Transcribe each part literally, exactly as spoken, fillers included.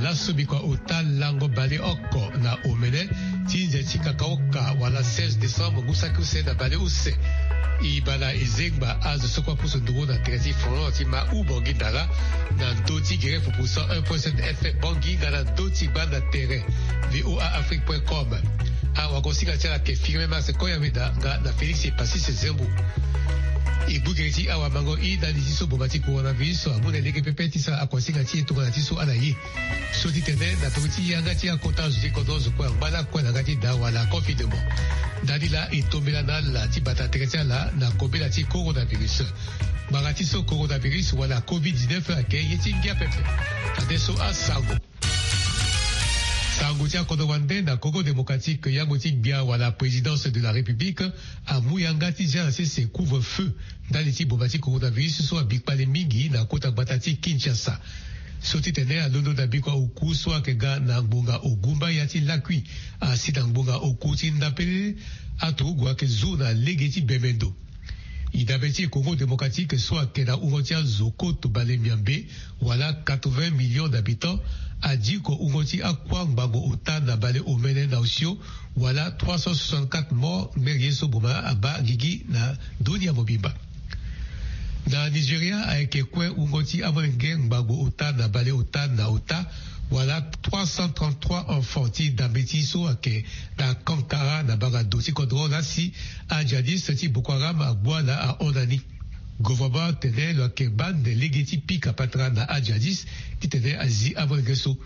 Aso bikua ota lango baleoko na omene ti nze ti kakaoka wala seize décembre ngu saki use na baleuse. E baa na e zengba azo so kue apusu nduru na tere ti front ti ma u Bangui Ndara, na ndö ti gere pupu cent un point sept F M Bangui nga na ndö ti gbanda tere V O A Afrique point com. Awagosinga ti ala ayeke Firmin Mars Koyameda nga na Félix Epasis Zembo. E gbu gere ti awamango i ndali ti so boma ti coronavirus amu na e lege pepe ti sara akuasinga ti e tongana ti so ala ye. So ti tene na peko ti yanga ti akota zo ti kodro zo kue angba lakue na yanga ti daa wala confinement. Ndali laa e tombela na ala ti bata tere ti ala na kobela ti coronavirus. Ngbanga ti so coronavirus wala covid dix-neuf ayeke ye ti ngia pepe. Fadeso asango. Sango ti akodro wande na Congo Démocratique, yango ti gbia wala Présidence de la République amu yanga ti zia na sese couvre-feu ndali ti boma ti coronavirus so abi kpale mingi na kota gbata ti Kinshasa. So ti tene alondo na bikua oku so ayeke ga na ngbonga ogumba ya ti lakui asi na ngbonga oku ti ndapele, aturugu ayeke zu na lege ti bemendo. E dabe ti e Congo Démocratique so ayeke na wungo ti azo koto bale miambe wala quatre-vingts millions d'habitants, adiko wungo ti akua ngbangbo ota na bale omene na osio wala trois cent soixante-quatre morts, ngbere ye so boma abaa gigi na dunia mobimba. Na Nigeria ayeke kue wungo ti amolenge ngbangbo ota na bale ota na ota wala trois cent trente-trois enfants ti dambe ti so ayeke na Kankara na banga do ti kodro la si ajihadiste ti Boko Haram agbua na ahon na ni. Gouvernement atene lo yeke baa nde lege ti pika patara na ajihadiste titene azi amolenge so.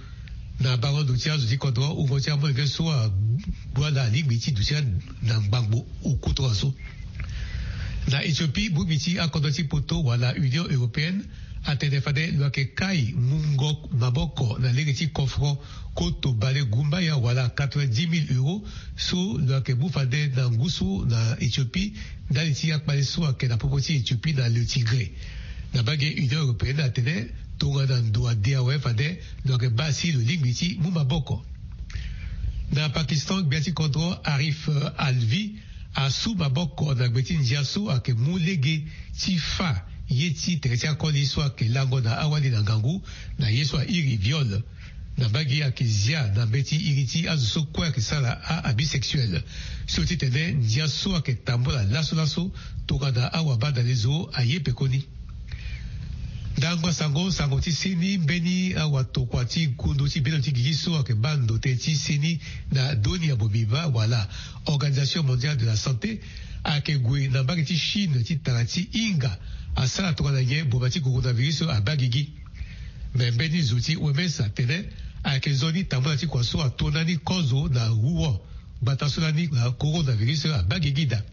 Na bango ndo ti azo ti kodro wungo ti amolenge so agbua na alingbi ti duti na ngbangbo oku tongaso. Na Éthiopie, bongbi ti akodro ti poto wala Union Européenne atene fade lo yeke kai mungo maboko na lege ti kofro koto bale gumbaya wala quatre-vingt-dix mille euros so lo yeke mu fade na ngu so na Éthiopie ndali ti akpale so ayeke na popo ti Éthiopie na le Tigré. Na mbage Union Européenne atene tongana ndo ade awe fade lo yeke baa si lo lingbi ti mu maboko. Na Pakistan, gbia ti kodro Arif Alvi asu maboko na gbe ti ndia so ayeke mu lege ti fa ye ti tere ti akoli so ayeke lango na awali na ngangu na ye so airi viol. Na mbage ayeke zia na mbeti iri ti azo so kue ayeke sara a-abus sexuel. So ti tene ndia so ayeke tambula laso laso tongana awabadalezo aye pekoni. Ndangba sango, sango ti seni mbeni awatokua ti kundu ti bino ti gigi so ayeke baa ndote ti seni na dunia mobimba wala Organisation Mondiale de la Santé ayeke gue na mbage ti Chine ti tara ti hinga asara tongana nyen boma ti coronavirus abaa gigi. Me mbeni zo ti O M S atene ayeke nzoni tambula ti kua so ato ndani kozo na Wuhan gbata so lani na coronavirus abaa gigi daa.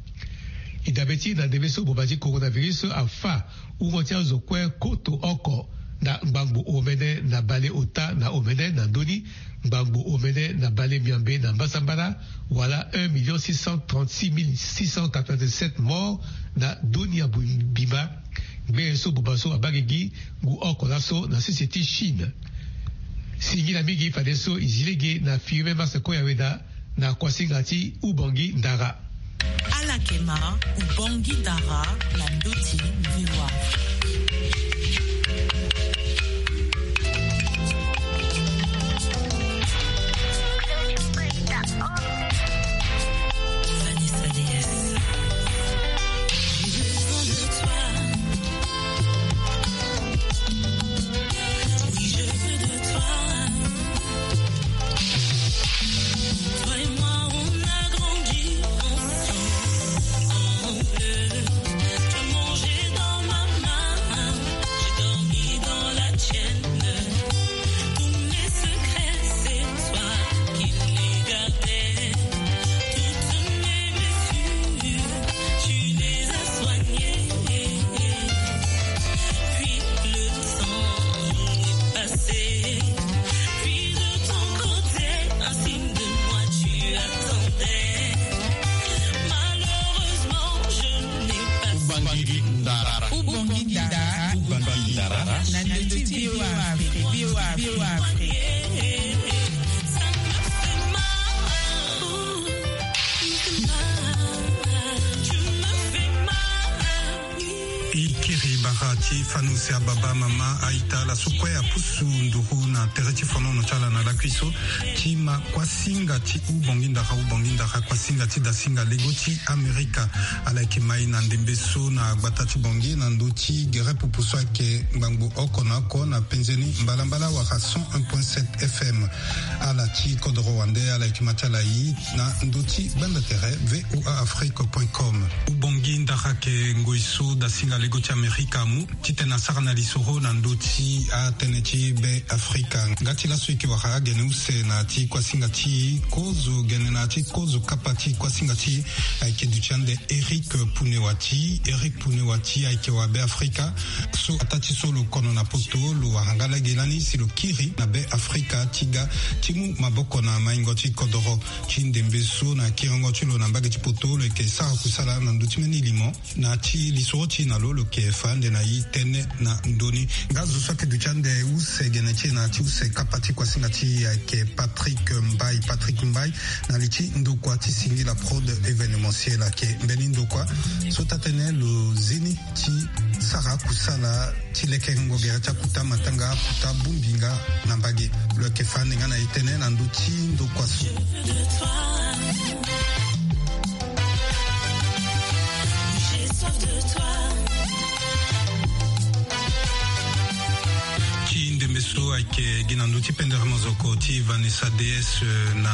E dabe ti na ndembe so boma ti coronavirus afa wungo ti azo kue koto oko na ngbangbo omene na bale ota na omene na ndö ni ngbangbo omene na bale miambe na mbasambala wala un million six cent trente-six mille six cent quatre-vingt-dix-sept morts na dunia mobimba. Ngbere so boma so abaa gigi ngu oko laso na sese ti Chine. Singila mingi fadeso e zi lege na Firmin Mars Koyameda na kuasinga ti Ubangui Ndara. Ala yeke ma Ubangui Ndara na ndö ti V O A. Bara ti fani use ababa, mama, aita, ala so kue apusu nduru na tere ti fonono ti ala na lakui so ti ma kuasinga ti Ubongi Ndara, Ubongi Ndara, kuasinga ti dasinga lego ti Amerika. Ala yeke mai na ndembe so na gbata ti Bangui na ndö ti gere pupu so ayeke ngbangbo oko na oko na penze ni mbalambala wala cent un point sept F M. Ala ti kodoro wande, ala yeke ma ti ala i na ndö ti gbanda tere V O A Afrique point com. Ubongi Ndara ayeke ngoi so dasinga lego ti Amerika amu titene asara na lisoro na ndö ti atënë ti Be Afrika. Nga ti laso e yeke wara agene use na ya ti kuasinga ti kozo gene na ya ti kozo kapa ti kuasinga ti e ayeke duti ande Eric Punewati. Eric Punewati ayeke wa Be Afrika so ataa ti so lo kono na poto, lo wara nga lege lani si lo kiri na Be Afrika ti ga ti mu maboko na maingo ti kodoro. Ti ndembe so na kiringo ti lo na mbage ti poto, lo yeke sara kusala na ndö ti mbeni limo. Na ya ti lisoro ti e na lo, lo yeke fa ande na e tënë na ndö ni. Nga zo so ayeke duti ande use gene ti e na ya ti use kapa ti kuasinga ti e ayeke Patrick Mbaye. Patrick Mbaye na li ti ndokua ti Singila Prod Événementiel, ayeke mbeni ndokua so taa-tënë lo zi ni ti sara kusala ti lekengo gere ti akuta matanga, akuta bongbi nga na mbage. Lo yeke fa ande nga na e tënë na ndö ti ndokua so. Ti ndembe so ayeke gi na ndö ti pendere mozoko ti Vanessa D S, eh, na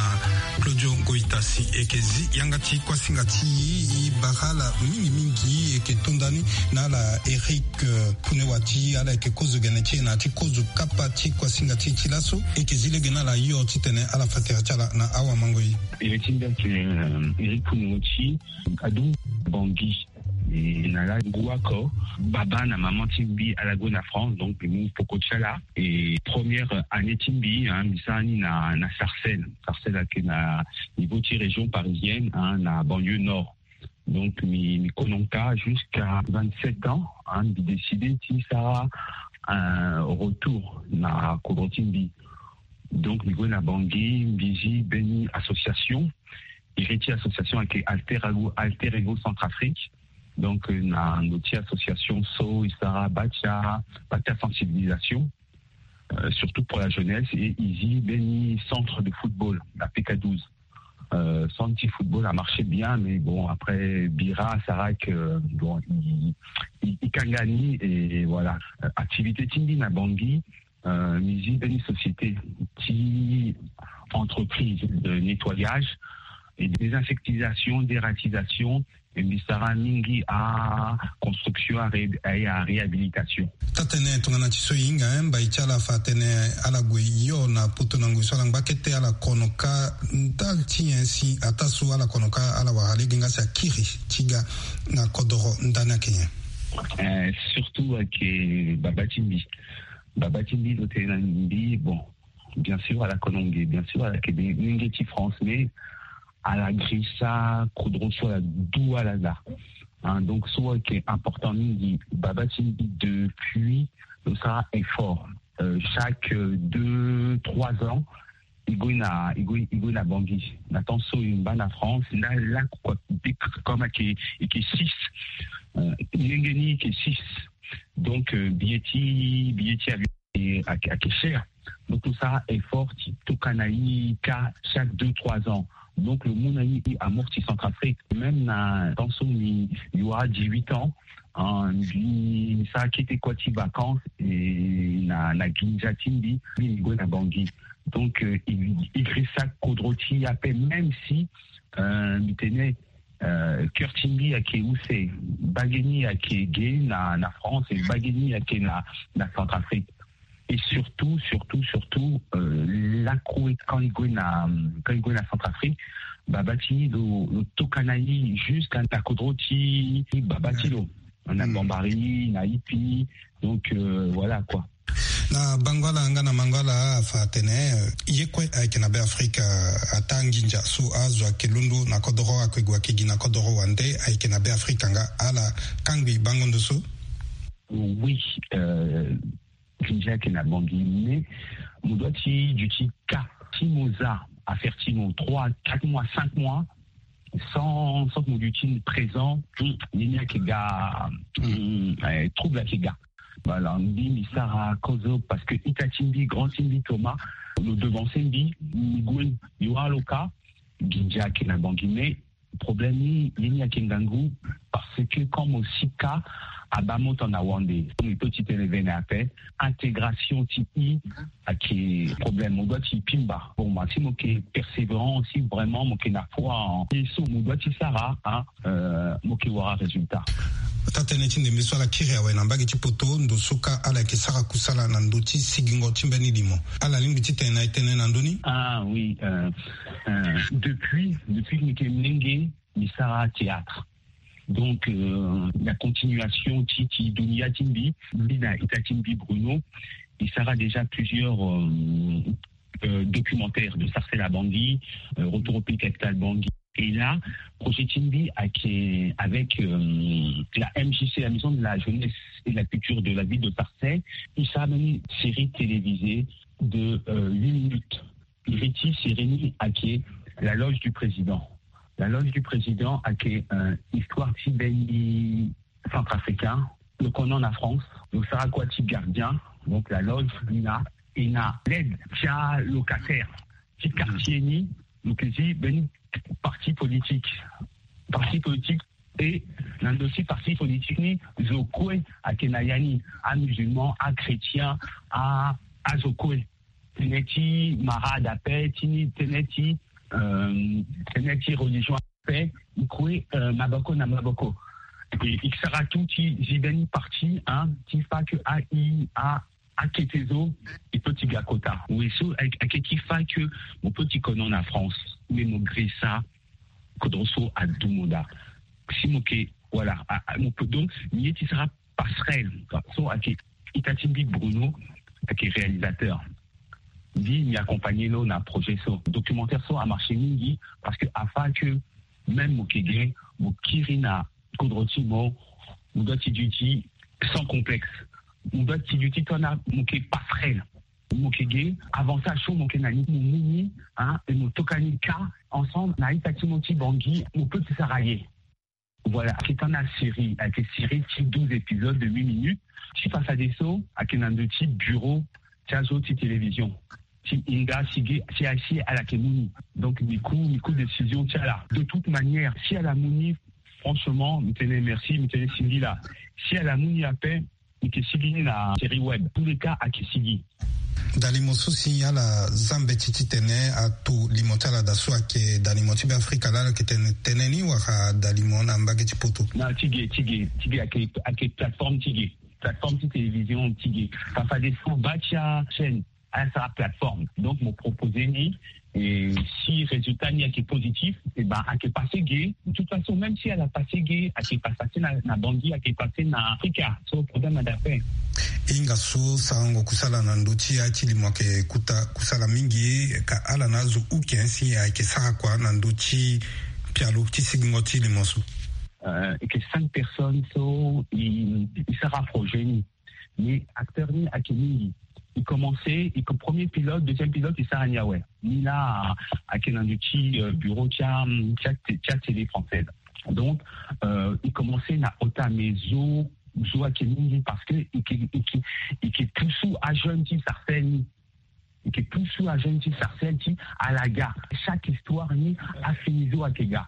Claudio Goitasi, e yeke zi yanga ti kuasinga ti e, e bara ala mingi mingi. E yeke to nda ni na ala Eric, eh, Punewati, ala yeke kozo gene ti e na ya ti kozo kapa ti kuasinga ti e ti laso. E yeke zi lege na ala hio titene ala fa tere ti ala na awamangoi. Iri ti mbi ayeke, eh, Eric Punewati, adu Bangui. E na la ngu oko, baba na maman ti mbi ala gue na France, donc mbi mu peko ti ala. E première année ti mbi, hein, mbi sara ni na, na Sarcelles. Sarcelles ayeke na niveau ti région parisienne, hein, na banlieue nord. Donc mbi, mbi kono nga jusqu'à vingt-sept ans, hein, mbi décidé ti sara un retour na kodro ti mbi. Donc mbi gue na Bangui, mbi zi mbeni association. Iri ti association ayeke Alter Ego, Alter Ego Centrafrique. Donc, euh, na ndö ti association so e sara bâ ti a, bâ ti a sensibilisation, euh, surtout pour la jeunesse, et e zi mbeni centre de football, la P K douze. Euh, centre ti football a marché bien, mais bon, après, bira asara que, bon, e, e, e kanga ni, et voilà. Euh, activité ti mbi na Bangui, euh, mbi zi mbeni société ti entreprise de nettoyage et désinsectisation, dératisation, e mbi sara mingi a construction, a ré-, a, a réhabilitation. Taa-tënë tongana ti so e hinga, eh, mbai ti ala fa atene ala gue hio na poto na ngoi so ala ngba kete, ala kono kâ ndali ti nyen si ataa so ala kono kâ ala wara lege nga si akiri ti ga na kodoro ndani ayeke nyen? Eh, surtout ayeke baba ti mbi. Baba ti mbi lo tene na mbi, bon, bien sûr ala kono nge, bien sûr ala yeke nge ti France, mais ala girisa kodro so ala du ala laa. Hein, donc so ayeke important mingi, baba ti mbi depuis lo sara effort, euh, chaque, euh, deux, trois ans, e gue na, e gue, e gue na Bangui. Na temps so e ngba na France, nda lakue, comme ayeke, e yeke six. Euh, ndenge ni e yeke six. Donc, euh, billet ti, billet ti avion ayeke, ayeke cher. Donc tout ça, effort ti tokua na e kâ chaque deux, trois ans. Donc lo mu na e, e amorti Centrafrique. Même na temps so mbi, mbi wara dix-huit ans, hein, mbi, mbi sara kete kua ti vacances, et na, na ginza ti mbi, mbi, mbi gue na Bangui. Donc, euh, e, e girisa kodro ti e ape, même si, euh, mbi tene, euh, cœur ti mbi ayeke use, bage ni ayeke ge na, na France, et bage ni ayeke na, na Centrafrique. Et surtout, surtout, surtout, euh, lakue quand e gue na, quand e gue na Centrafrique, baba ti lo, lo tokua na e jusqu'à na kodro ti baba ti lo. Na Bambari, na Ipi. Donc, euh, voilà quoi. Na bango ala nga na mango ala afa atene, euh, ye kue ayeke na Be Afrika, euh, ataa nginza so azo ayeke londo na kodoro, ayeke gue ayeke gi na kodoro wande, ayeke na Be Afrika nga, ala kangbi bango ndo so? Oui, euh, nginza ayeke na Bangui, mais mo doit ti duti kâ. Si mo za affaire ti mo trois, quatre mois, cinq mois, Sans sans que mo duti présent, ni ni ake ga trouble ake ga. Voilà, mbi mi sara kozo parce que ita ti mbi, grand ti mbi Thomas, lo devancer mbi, mi gue, mi wara lo ka. Nginza ake na bangi, mais problème ni ni ni ake ngangu, parce que comme aussi ka aba mo tona wande, mi to ti tene vene ape, intégration ti i ake problème, mo doit ti pimba. Bon, ma si mo ke persévérant aussi, vraiment mo ke na foi en ye so mo doit ti sara, hein, euh, mo ke wara résultat. Ata tënë ti ndembe so ala kiri awe na mbage ti poto, ndo so ka ala yeke sara kusala na ndö ti sigingo ti mbeni limo. Ala lingbi ti tene na e tënë na ndö ni? Ah oui, euh, euh, depuis depuis meke mlenge, mi sara théâtre. Donc euh, la continuation ti ti dunia ti mbi, mbi na ita ti mbi Bruno, mi sara déjà plusieurs euh, euh, documentaires de Sarcelles à Bangui, euh, Retour au pays capital Bangui. Et là, projet ti mbi ake avec euh, la M J C, la Maison de la Jeunesse et de la Culture de la ville de Sarcelles, mi sara une série télévisée de euh, huit minutes. Iri ti série ni ake La Loge du Président. La Loge du Président ake euh, histoire ti mbeni centrafricain, lo kono na France, lo sara kua ti gardien. Donc la loge ni na, e na l'aide ti alocataire ti quartier ni, lo ke zi mbeni parti politique. Parti politique, e na ndo ti parti politique ni, zo kue ake na ya ni, amusulman, achrétien, a azo kue. Tënë ti marade ape, ti ni tënë ti euh, tënë ti religion ape, e kue euh, maboko na maboko. E, e sara tout ti zi mbeni parti, hein, ti fa que a i a akete zo, e peut ti ga kota. Oui, so ake ti fa que mo peut ti kono na France, mais mo grisa kodro so adu mo daa. Si mo ke, voilà, a, a, mo peut, donc mi ye ti sara passerelle. So ake ita ti mbi Bruno ake réalisateur. Mbi mi accompagner lo na projet so. Documentaire so amarché mingi parce que afa que même mo ke ge, mo kiri na kodro ti mo, mo doit ti duti sans complexe. Mo doit ti duti tongana mo ke passerelle. Mo ke ge, avantage so mo ke na ni, mo mu ni, hein, e mo toka ni ka ensemble na ita ti mo ti Bangui, mo peut ti sara ye. Voilà, ake tongana série, ake série ti douze épisodes de huit minutes. Ti fafadeso ake na ndo ti bureau ti azo ti télévision ti hinga si ge, si, si ala ke mu ni. Donc mi ku, mi ku décision ti ala. De toute manière, si ala mu ni, franchement mi tene merci, mi tene singila. Si ala mu ni ape, mi ke sigi ni na série web. Tous les cas ake sigi. Dalimo so si ala za mbeti titene ato limo ti ala daa so ayeke dalimo ti Beafrika laa, ala yeke tene tënë ni wala dalimo na mbage ti poto? Na ti ge, ti ge, ti ge ayeke, ayeke plateforme ti ge, plateforme ti télévision ti ge. Fafadeso baa ti achaîne, ala sara plateforme. Donc mo proposer ni, et si résultat ni ayeke positif, e ben ayeke passé ge. De toute façon, même si ala passé ge, ayeke passé na, na Bangui, ayeke passé na Afrika. So problème ada ape. Hinga so sarango kusala na ndö ti ya ti limo ayeke kuta kusala mingi, ka ala na azo uke si ayeke sara kua na ndö ti pialo ti sigingo ti limo so? Euh, ayeke cinq personnes so i, i sara projet ni. Mais acteur ni ayeke mingi. I commencé, i ko-, premier pilote, deuxième pilote, i sara ni awe. Ni laa ayeke na ndö ti, euh, bureau ti a, ti a, ti a Télé Française. Donc euh, i commencé na ota, mais zo, zo ayeke mingi parce que i ke, i ke, i ke pusu ajeune ti Sarcelles ni. I ke pusu ajeune ti Sarcelles ti ala ga. Chaque histoire ni afini zo ayeke ga.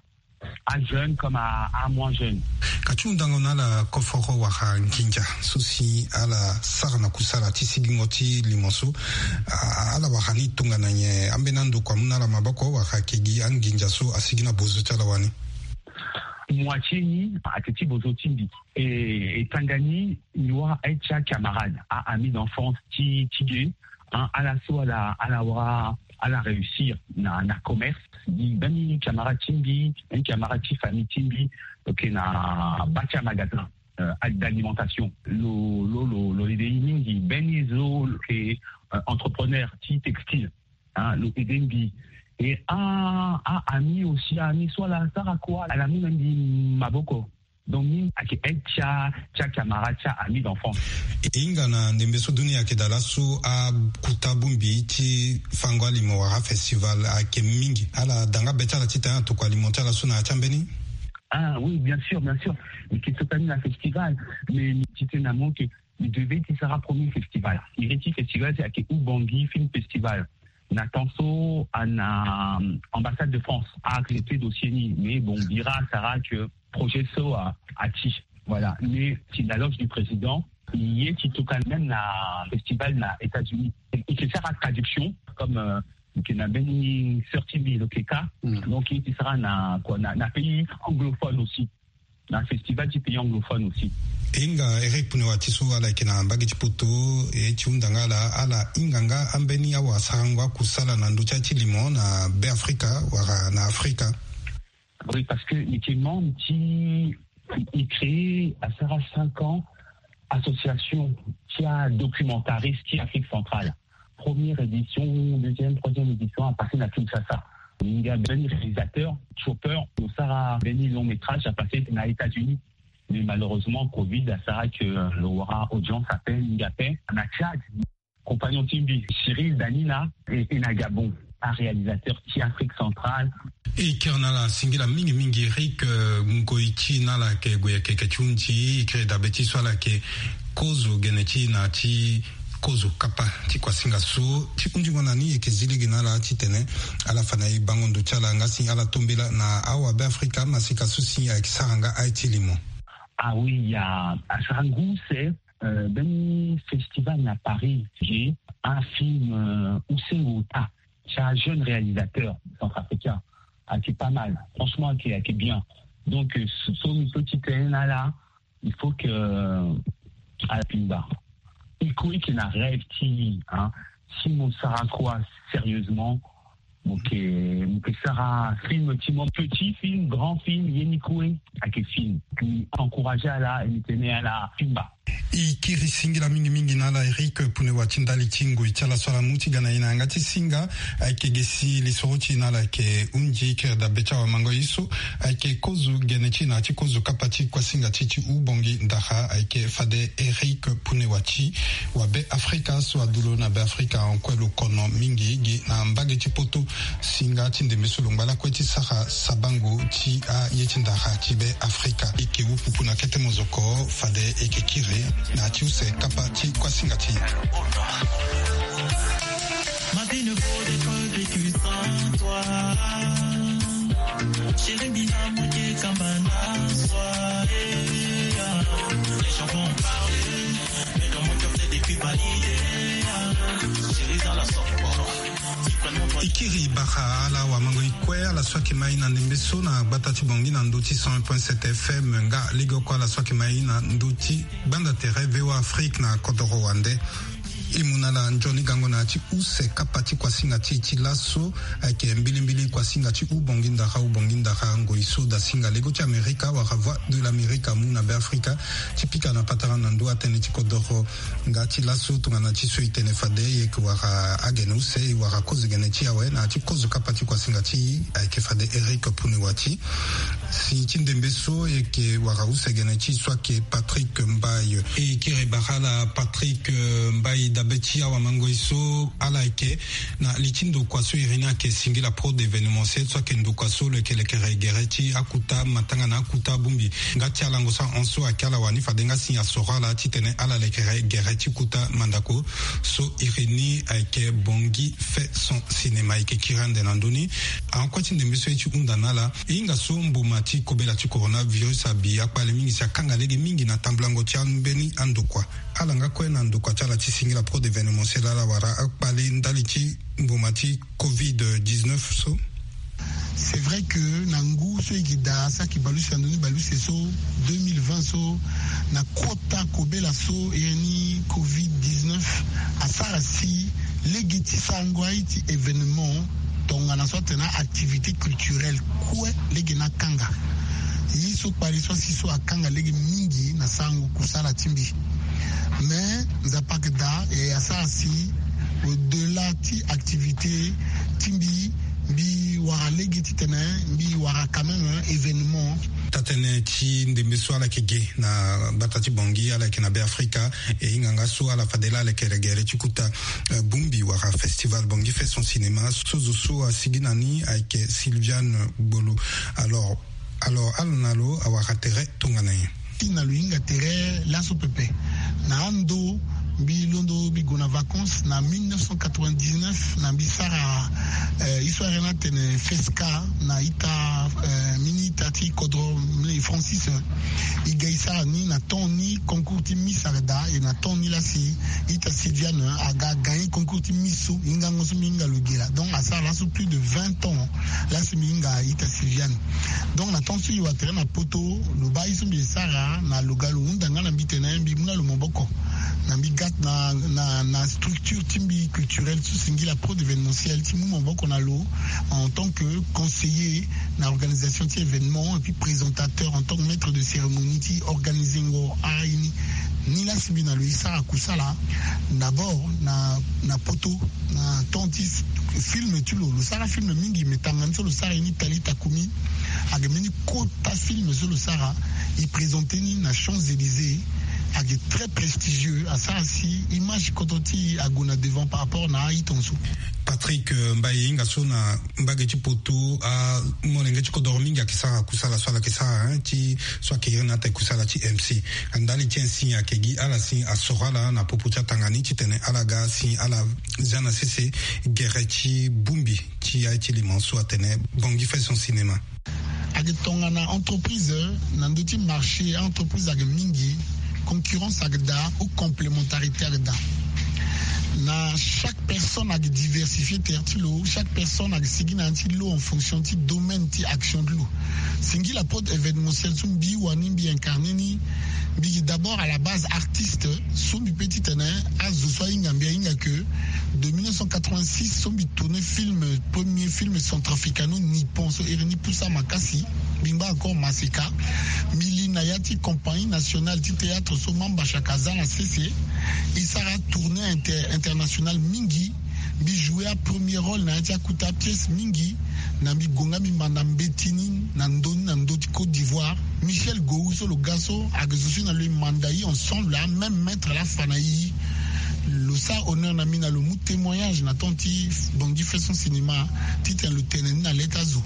Ajeune comme a, a moins jeune. Ka ti hundango na ala koforo wala nginza so si ala sara na kusala ti sigingo ti limo so, a, ala wara ni tongana nyen? Ambeni andokua amu na ala maboko wala ayeke gi anginza so asigi na bozo ti ala wani? Moitié ni ayeke ti bozo ti mbi. E, e tanga ni, mi wara aide ti acamarade, a, ami d'enfance ti, ti ge. Hein, ala so ala, ala wara, ala réussir na, na commerce. Gi mbeni camarade ti mbi, mbeni camarade ti famille ti mbi, lo yeke na bâ ti amagasin, euh, d'alimentation. Lo, lo, lo, lo aidé i mingi. Mbeni zo lo yeke, euh, entrepreneur ti textile. Hein, lo aidé mbi. Et a, a ami aussi, ami so ala sara kua, ala mu na mbi maboko. Donc ni ayeke aide ti a ti a camarade ti a ami d'enfance. E hinga na ndembe so duni ayeke daa laso akuta bongbi ti fango alimo wala afestival ayeke mingi. Ala da nga be ti ala titene atokua alimo ti ala so na ya ti ambeni. Ah oui, bien sûr, bien sûr. Mais que ce soit un festival, mais tu sais, na mon que il devait ti sara premier festival. Il est festival, c'est que Ubangi Film Festival. Na tanso ana ambassade de France a accepté dossier ni, mais bon, bira sara que projet so a ati. Voilà. Mais si la loge du président, il est tout cas même na festival na États-Unis. Et c'est ça la traduction comme euh, que na beni sorti mi lokeka. Donc il sera na quoi na, na pays anglophone aussi. Na festival ti pays anglophone aussi. E hinga Eric Punewati so ala yeke na mbage ti poto, e ti hunda nga ala, ala hinga nga ambeni awasarango akusala na ndö ti aye ti limo na Be Afrika wala na Afrika. Oui, parce que mi yeke membre ti e créé asara cinq ans association ti adocumentariste ti Afrique centrale. Première édition, deuxième, troisième édition a passé na Kinshasa. Nga beni réalisateur Chopper lo sara beni long métrage a passé na États-Unis. Mais malheureusement covid asara que lo wara audience ape mingi ape na Tchad. Compagnon ti mbi Cyril Danina e na Gabon, aréalisateur ti Afrique centrale. E kiri na ala singila mingi mingi Eric. Ngoi ti na ala yeke gue yeke yeke ti hunzi e kiri dabe ti so ala yeke kozo gene ti na ti kozo kapa ti kuasinga so ti hunzingo na ni e yeke zi lege na ala titene ala fa na e bango ndo ti ala nga si ala tombela na awabe Afrika masika so si ayeke sara nga aye ti limo. Ah oui, ya asara ngu use. Euh, beni festival na Paris, j'ai un film euh, use ota ti ajeune réalisateur centrafricain. Ayeke pas mal, franchement ayeke ayeke bien. Donc euh, so mi so ti tene na ala, il faut que euh, ala pimba. E kue yeke na rêve ti hein, si mo sara kua sérieusement, mo yeke mo yeke sara film ti mo, petit film, grand film, ye ni kue ayeke film. Mi encourage ala e mi tene ala pimba. E kiri singila mingi mingi na ala Eric Punewati ndali ti ngoi ti ala so ala mu ti ga na e na yanga ti singa. Ayeke ge si lisoro ti e na ala yeke hunzi kiri dabe ti awamango ye so ayeke kozo gene ti e na ya ti kozo kapa ti kuasinga ti e ti Ubongi Ndara ayeke fade Eric Punewati wa Be Afrika so adu lo na Be Afrika en kue lo kono mingi gi na mbage ti poto. Singa ti ndembe so lo ngba lakue ti sara sabango ti aye ti ndara ti Be Afrika. E yeke wu pupu na kete mozoko fade e yeke kiri na ya ti use kapa ti kuasinga ti e. Ma vie ne vaut d'être vécue sans toi. Chérie, mina muke kamba na soi. Les gens vont parler, mais dans mon cœur c'est depuis validé. Chérie, dans la sorte. E kiri bara ala wamango e kue ala so ayeke ma e na ndembe so na gbata ti Bangui na ndö ti cent un point sept F M nga lege oko ala so ayeke ma e na ndö ti gbanda tere V O A Afrique na kodoro wande. E mu na ala nzoni gango na ya ti use kapa ti kuasinga ti e ti laso ayeke mbilimbili kuasinga ti Ubongi Ndara, Ubongi Ndara ngoi so dasinga lego ti Amerika wala Voix de l'Amérique amu na Be Afrika ti pika na patara na ndö atënë ti kodoro. Nga ti laso tongana ti so e tene fade e yeke wara agene use e wara kozo gene ti e awe na ya ti kozo kapa ti kuasinga ti e ayeke fade Eric Punewati. Si ti ndembe so e yeke wara use gene ti e so ayeke Patrick Mbaye. E kiri bara ala Patrick Mbaye dabe ti awamango e so ala yeke na li ti ndokua so iri ni ayeke singila pro d'événementiel so ayeke ndokua so lo yeke lekere gere ti akuta matanga na akuta bongbi. Nga ti alango so ahon so ayeke ala wani fade nga si asoro ala titene ala lekere gere ti kuta mandako so iri ni ayeke Bangui fait son cinéma. E yeke kiri ande na ndö ni. Ahon kue ti ndembe so e ti hunda na ala. E hinga so mboma ti kobela ti coronavirus abi akpale mingi si akanga lege mingi na tambulango ti ambeni andokua. Ala nga kue na ndokua ti ala ti singila pro d'événementiel ala wara akpale ndali ti mboma ti covid dix-neuf so. C'est vrai que na ngu so e yeke daa saki baleuse na ndoni baleuse so deux mille vingt so na kota kobela so iri ni covid dix-neuf asara si lege ti sarango aye ti événement tongana so atene activité culturelle kue lege ni akanga. Ye so kpale so asi so akanga lege mingi na sarango kusala ti mbi. Mais Nzapa ayeke daa e asara si au-delà ti activité ti mbi Mbi wara lege titene mbi wara quand même événement. Taa-tënë ti ndembe so ala yeke ge na gbata ti Bangui, ala yeke na Beafrika. E hinga nga so ala fade laa ala yeke gere ti kuta, eh, bongbi wala festival Bangui fait son cinéma. So zo so asigi na ni ayeke Sylviane Gbolo. Alors, alors ala na lo awara tere tongana nyen? Ti na lo hinga tere laso pepe. Na ando mbi londo mbi gue na vacances na mille neuf cent quatre-vingt-dix-neuf, na mbi sara, eh, histoire na tene fesca na ita, eh, mini ita ti kodro mle Francis, eh, e ga e sara ni na temps ni concours ti Miss ayeke daa, e na temps ni lasi ita Sylviane aga agagné concours ti Miss so, hingango so mbi hinga lo ge laa. Donc asara laso plus de vingt ans lasi mbi hinga ita Sylviane. Donc na temps so e wara tere na poto, lo baa ye so mbi sara na lo ga lo hunda nga na mbi tene mbi mu na lo maboko. Na mbi ga na, na, na structure ti mbi culturelle so singila Prod Événementiel ti mu maboko na lo en tant que conseiller na organisation ti événement et puis présentateur en tant que maître de cérémonie ti organisengo aini. Ni lasi mbi na lo e sara kusala. D'abord na, na poto, na temps ti film ti lo, lo sara film mingi, me tangani so lo sara ye ni Tali Takumi. Ayeke mbeni kota film so lo sara, e présenter ni na Champs-Élysées. Ayeke très prestigieux, asara si image kodro ti e ague na devant par rapport na aye ton so. Patrick, eh, Mbaye, e hinga so na mbage ti poto, amolenge ti kodoro mingi ayeke sara kusala so ala yeke sara, hein, ti so ayeke iri na ate kusala ti M C. Ndali ti insigne ayeke gi ala si asoro ala na popo ti atanga ni titene ala ga si ala zia na sese gere ti bongbi ti aye ti limo so atene Bangui fait son cinéma. Ayeke tongana entreprise na ndö ti marché, entreprise ayeke mingi, concurrence ayeke daa ou complémentarité ayeke daa. Na chaque personne ayeke diversifier terre ti lo, chaque personne ayeke sigi na ya ti lo en fonction ti domaine ti action ti lo. Singila Prod Événementiel so mbi wani mbi incarner ni, mbi gi d'abord à la base artiste so mbi pe titene azo so ahinga mbi ahinga ke de mille neuf cent quatre-vingt-six so mbi tourner film, premier film centrafricano-nippon so iri ni Pusa Makasi, mbi ngba encore Maseka. Mbi li na ya ti compagnie nationale ti théâtre so Mamba Shaka aza na sese. E sara tournée inter-, internationale mingi. Mbi jouer apremier rôle na ya ti akuta pièce mingi. Na mbi gue nga mbi manda mbeti ni na ndö ni na ndö ti Côte d'Ivoire. Michel Gou so lo ga so ayeke zo so na lo e manda e ensemble, a même maître laa afa na e. Lo sara honneur na mbi na lo mu témoignage na temps ti Bangui fait son cinéma titene lo tene ni na le ti azo.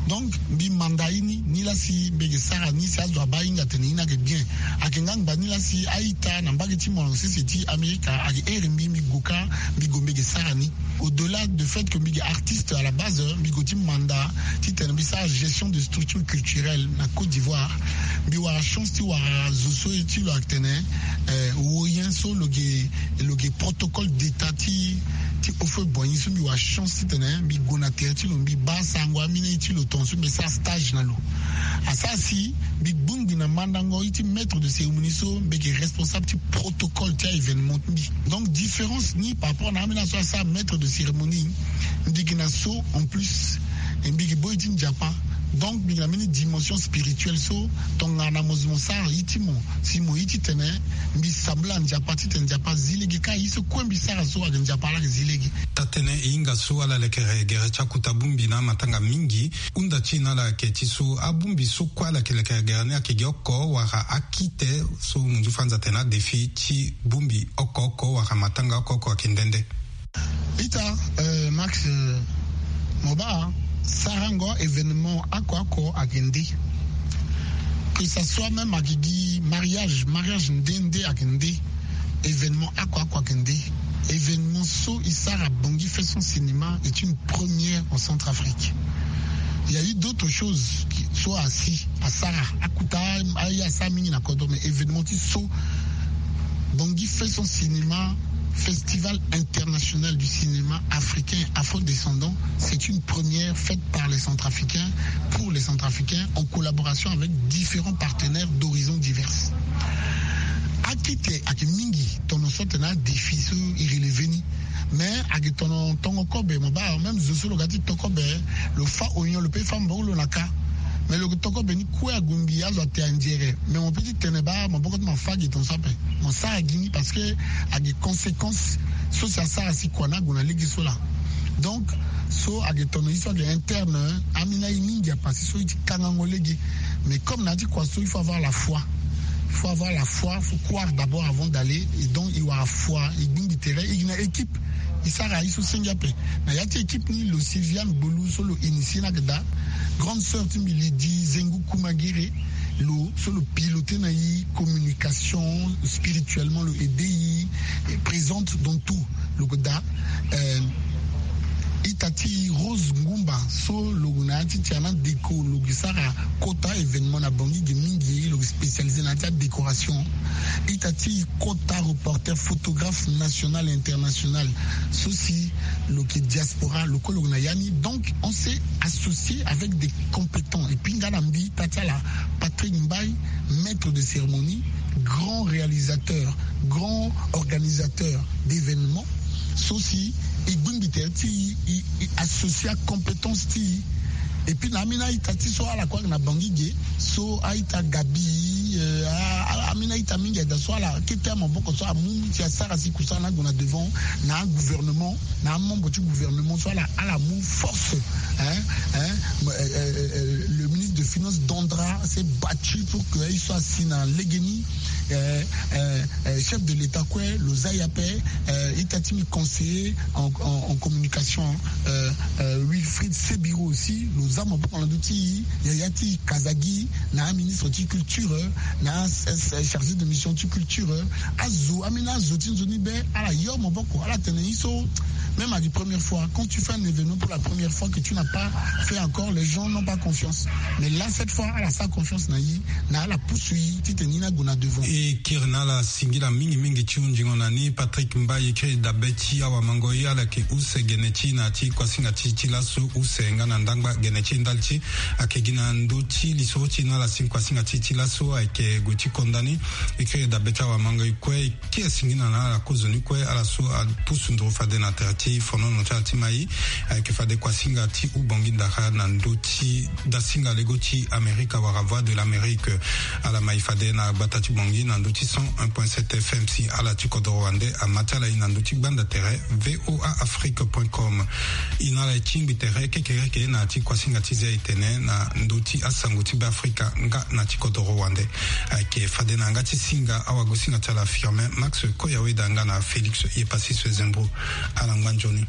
Donc mbi manda e ni, ni laa si mbi yeke sara ni si azo abaa ahinga atene e ni ayeke bien. Ayeke nga ngba ni laa si a-ita na mbage ti molenge sese ti Amerika ayeke here mbi, mbi gue kâ, mbi gue mbi yeke sara ni. Au-delà de fait que mbi yeke artiste à la base, mbi gue ti manda titene mbi sara gestion de structure culturelle na Côte d'Ivoire. Mbi wara chance ti wara zo so ye ti lo ayeke tene, eh, woyen so lo yeke, lo yeke protocole d'état ti, ti Houphouët-Boigny so mbi wara chance titene mbi gue na tere ti lo, mbi baa sango amina ye ti lo tongaso mbi sara stage na lo. Asara si mbi gbongbi na mandango ye ti maître de cérémonie so mbi yeke responsable ti protocole ti a-événement ti mbi. Donc différence ni par rapport na ambeni azo asara maître de cérémonie, mbi yeke na so en plus, e mbi yeke boi ti Nzapa. Donc mbi yeke na mbeni dimension spirituelle so tongana mo zo mo sara ye ti mo, si mo ye titene mbi sambela Nzapa titene Nzapa azi lege kâ ye so kue mbi sara so ayeke Nzapa laa ayeke zi lege. Taa-tënë, e hinga so ala lekere gere ti akuta bongbi na amatanga mingi. Hunda ti e na ala ayeke ti so abongbi so kue ala yeke lekere gere ni ayeke gi oko wala akite so mo nzu fa nza atene adéfi ti bongbi oko oko wala matanga oko oko ayeke nde nde. Ita, eh, Max, eh, mo baa sarango événement oko oko ayeke nde. Que ça soit même ayeke gi mariage, mariage nde nde ayeke nde. Événement oko oko ayeke nde. Événement so e sara Bangui fait son cinéma est une première en Centrafrique. Il y a eu d'autres choses qui, so asi asara akuta aye asara mingi na kodro, mais événement ti so Bangui fait son cinéma, Festival international du cinéma africain afro-descendant, c'est une première faite par les Centrafricains, pour les Centrafricains, en collaboration avec différents partenaires d'horizons divers. Akite ayeke mingi, tono so atene adéfi so e relever ni. Mais ayeke tono tongo kobe, mo baa même zo so lo ga ti to kobe, lo fâ oignon, lo pe fâ maboko lo na kâ. Mais lo yeke to kobe ni kue agumbi azo ate anzere. Mais mo pe ti tene baa maboko ti mo afâ gi tongaso ape. Mo sara gi ni parce que ayeke conséquence so si asara si kua ni ague na lege so laa. Donc So ayeke tono ye so ayeke interne, ambeni aye mingi apase so e ti kangango lege. Mais comme na ya ti kua so, il faut avoir la foi. Il faut avoir la foi, faut croire d'abord avant d'aller. Et donc e wara foi, e gbingbi tere, e gi na équipe. E sara ye so senge ape. Na ya ti équipe ni, lo si Viviane Gbolu so lo initié ni ayeke daa. Grande sœur ti mbi Lydie Zengu Kumagere, lo so lo piloté na e communication, spirituellement lo aidé e, et présente dans tout. Lo yeke daa, euh, ita ti Rose Ngumba so lo na ya ti tiana déco, lo yeke sara kota événement na Bangui ge mingi, lo yeke spécialisé na ya ti adécoration. Ita ti kota reporter, photographe national et international, so si lo yeke diaspora, lo kue lo yeke na ya ni. Donc on s'est associé avec des compétents. Et puis nga na mbi, ita ti ala Patrick Mbaye, maître de cérémonie, grand réalisateur, grand organisateur d'événements, so si e gbingbi tere ti e, e, e associé acompétence ti e. Et puis na ambeni a-ita ti so ala kue ayeke na Bangui ge, so a-ita Gabi, euh, a, a, ambeni a-ita mingi ayeke daa so ala kete amaboko so amu ti asara si kusala ni ague na devant, na agouvernement, na amembre ti gouvernement so ala, ala mu force, hein, hein, euh, euh, euh, le ministre de finance Dandra s'est battu pour que aye so asi na legeni, euh, euh, euh, chef de l'État kue lo za e ape, euh, ita ti mbi conseiller en, en, en communication, euh, euh, Wilfried Sebiro aussi, lo za maboko na ndö ti e, yaya ti Kazagi, na aministre ti culture, na as-, as-, chargé de mission ti culture, azo, ambeni azo ti nzoni be, ala yo maboko, ala tene ye so, même à la première fois, quand tu fais un événement pour la première fois que tu n'as pas fait encore, les gens n'ont pas confiance. Mais là, cette fois, ala sara confiance na e, na ala pusu e titene e ni ague na devant. E kiri na ala singila mingi mingi ti hunzingo na ni. Patrick Mbaye, e kiri dabe ti awamango, e ala yeke use gene ti e na ya ti kuasinga ti e ti laso, use nga na ndangba gene ti e ndali ti e. Ayeke gi na ndö ti lisoro ti e na ala si kuasinga ti e ti laso ayeke gue ti konda ni. E kiri dabe ti awamango, e kue ti e singila na ala kozoni kue, ala so apusu nduru fade na tere ti fonono ti ala ti mai. Ayeke fade kuasinga ti Ubangui Ndara na ndö ti dasinga lego ti Amerika wala Voix de l'Amérique. Ala mai fade na gbata ti Bangui na ndö ti cent un point sept F M. Si ala ti kodoro wande ama ti ala e na ndö ti gbanda tere V O A Afrique point com. E na ala e tingbi tere kekereke na ya ti kuasinga ti zia e tene na ndö ti asango ti Beafrika nga na ti kodoro wande. Ayeke fade na yanga ti singa awagosinga ti ala Firmin Max Koyaweda nga na Félix Yepasi Swezembro. Ala ngba nzoni.